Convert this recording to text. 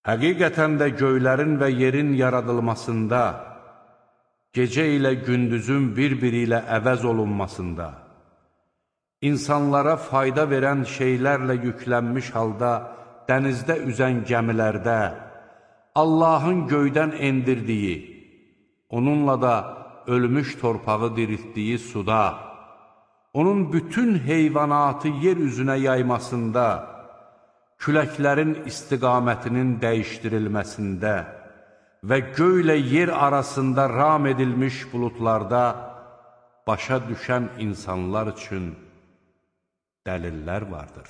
Həqiqətən də göylərin və yerin yaradılmasında, gecə ilə gündüzün bir-biri ilə əvəz olunmasında, insanlara fayda verən şeylərlə yüklənmiş halda dənizdə üzən gəmilərdə, Allahın göydən endirdiyi, onunla da ölmüş torpağı diriltdiyi suda, onun bütün heyvanatı yer üzünə yaymasında, küləklərin istiqamətinin dəyişdirilməsində və göylə yer arasında ram edilmiş buludlarda başa düşən insanlar üçün dəlillər vardır.